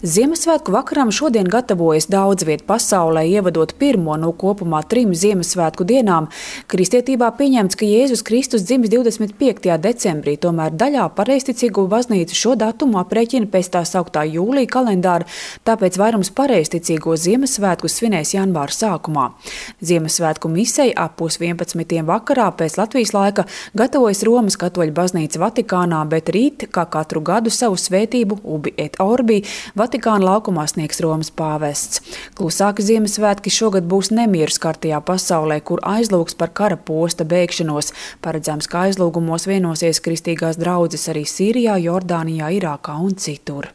Ziemassvētku vakaram šodien gatavojas daudz vietu pasaulē, ievadot pirmo no kopumā 3 Ziemassvētku dienām. Kristietībā pieņemts, ka Jēzus Kristus dzimis 25. decembrī, tomēr daļā pareizticīgo baznīcu šo datumu aprēķina pēc tā sauktā jūlija kalendāra, tāpēc vairums pareizticīgo Ziemassvētku svinēs janvāra sākumā. Ziemassvētku misei ap 10:30 vakarā pēc Latvijas laika gatavojas Romas katoļu baznīca Vatikānā, bet rīt, kā katru gadu, savu svētību Ubi et Orbi Vatikāna laukumā sniegs Romas pāvests. Klusāki Ziemassvētki šogad būs nemieru skartajā pasaulē, kur aizlūgs par kara posta beigšanos. Paredzams, ka aizlūgumos vienosies kristīgās draudzes arī Sīrijā, Jordānijā, Irākā un citur.